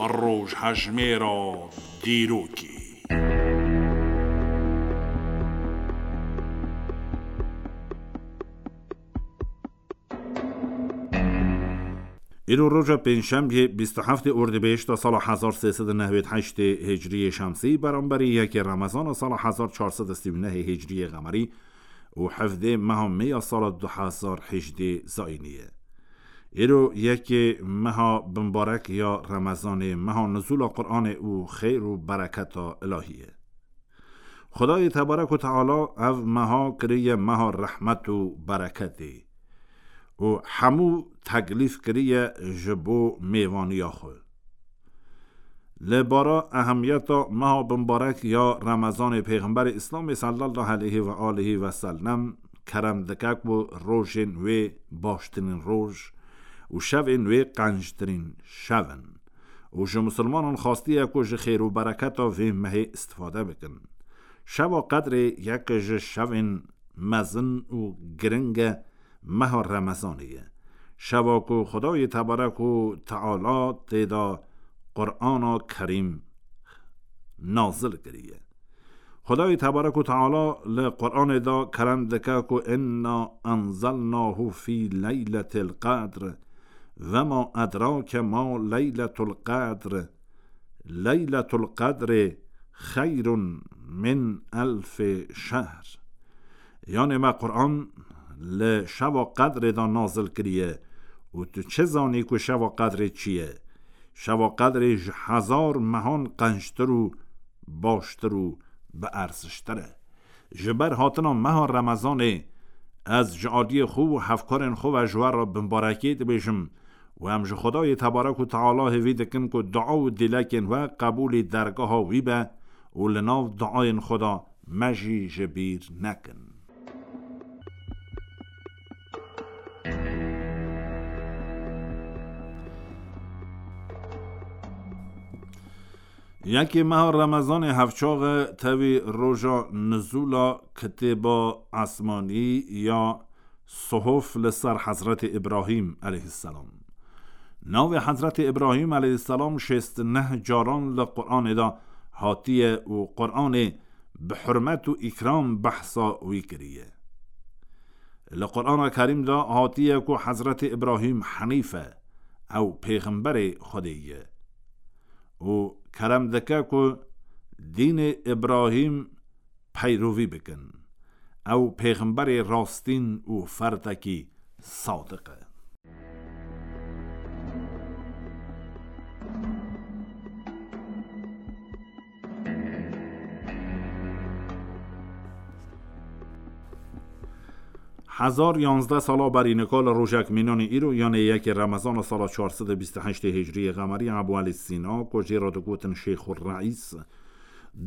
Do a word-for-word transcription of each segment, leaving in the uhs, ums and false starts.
Rojhejmêra dîrokê. Îro roja pêncşemiyê, bîst û heftê Ordibêşta sala hezar sê sed û newêd heştê Hicriyê Şemsî, beramberî yekê Remezana sala hezar çar sed û sî û nehê Hicriyê Qemerî û hevdê meha Mê ya sala du hezar hejdê Zayînî ye. Îro yekê meha bimbarek ya Remezanê, meha nuzûla Qur'anê û xêr û bereketa ilahî ye. Xwedayê Tebarek û Teala ev meha kiriye meha rehmet û bereketê û hemû teklîf kiriye ji bo mêvaniya xwe. Li bara ehemiyeta meha bimbarek ya Remezanê, Pêxemberê Îslamê sallallahu aleyhi ve aleyhi ve sellem kerem dike ku rojên wê baştirîn roj û şevên wê qenctirîn şev in. Û ji misilmanan xastiye ku ji xêr û bereketa vê mehê istifade bikin. Şeva Qedrê yek ji şevên mezin û giring e meha Remezanê ye. Şeva ku Xwedayê Tebarek û Teala tê de Qur'ana Kerîm nazil kiriye. Xwedayê Tebarek û Teala li Qur'anê de kerem dike ku "Inna enzelnahu fî leyletil qedr, ve ma edrake ma leyletul qedr, leyletul qedrê xeyrun min elfê şehr." Yanê me Qur'an li şeva Qedrê de nazil kiriye û tu çi zanî ku şeva Qedrê çi ye? Şeva Qedrê ji hezar mehan qenctir û baştir û bi erziştir e. Ji ber hatina meha Remezanê, ez ji aliyê xwe û hevkarên xwe ve ji we re bimbarekê dibêjim û em ji Xwedayê Tebarek û Teala hêvî dikin ku dua û dilekên we qebûlî dergeha wî be û li nav duayên xwe de me jî ji bîr nekin. Yekê meha Remezanê hevçax e, tevî roja nizûla kitêba esmanî ya Suhuf li ser Hezretê Îbrahîm aleyhisselam. Navê Hezretê Îbrahîm aleyhisselam şêst û neh caran li Qur'anê de hatiye û Qur'anê bi hurmet û îkram behsa wî kiriye. Li Qur'ana Kerîm de hatiye ku Hezretê Îbrahîm Henîf e, ew pêxemberê Xwedê ye û kerem dike ku dînê Îbrahîm peyrovî bikin. Ew pêxemberê rastîn û ferdekî sadiq e. Hezar yanzdeh sala berî nika li rojek mînanê îro, yanê yekê Remezana sala çar sed û bîst û heştê Hicriyê Qemerî, Ebû Elî Sîna, ku jê re digotin Şêxul Reîs,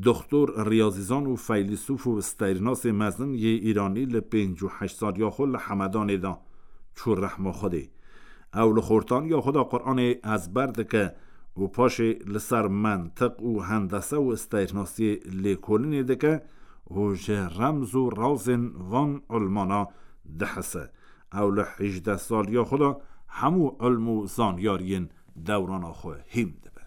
doxtor, riyazîzan û feylîsûf û steyrnasê mezin yê Îranî, li pêncî û heşt saliya xwe li Hemedanê de çû rehma Xwedê. Ew li xortaniya xwe de Qur'anê ezber dike û paşê li ser mentiq û hendese û steyrnasiyê lêkolînê dike û ji remz û razên van ilmana dihise. Ew li hejdeh saliya xwe de hemû ilm û zanyariyên dewrana xwe hîm dibe.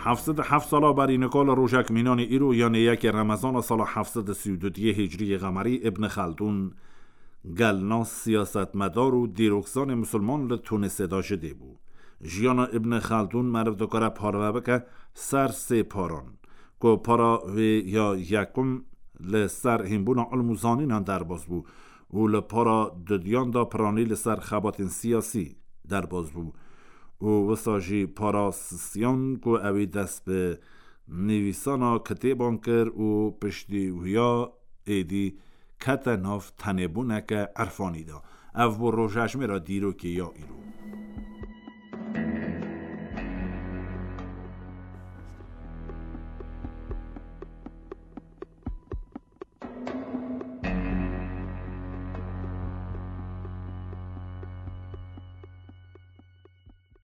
Heft sed û heft sala berî nika li rojek mînanê îro, yanê yekê Remezana sala heft sed û sî û du diyê Hicriyê Qemerî, Ibn Xeldûn, gelnas, siyasetmedar û dîrokzanê misilman li Tunisê de ji dê bû. Jiyana Ibn Xeldûn meriv dikare parve bike ser sê paran, ku para wê ya yekum li ser hînbûna ilm û zanînan derbas bû û li para dudiyan de piranî li ser xebatên siyasî derbas bû û wisa jî para sisiyan, ku ewî dest bi nivîsana kitêban kir û piştî wiya êdî kete nav tenêbûneke irfanî de. Ev bû rojejmêra dîrokê ya îro.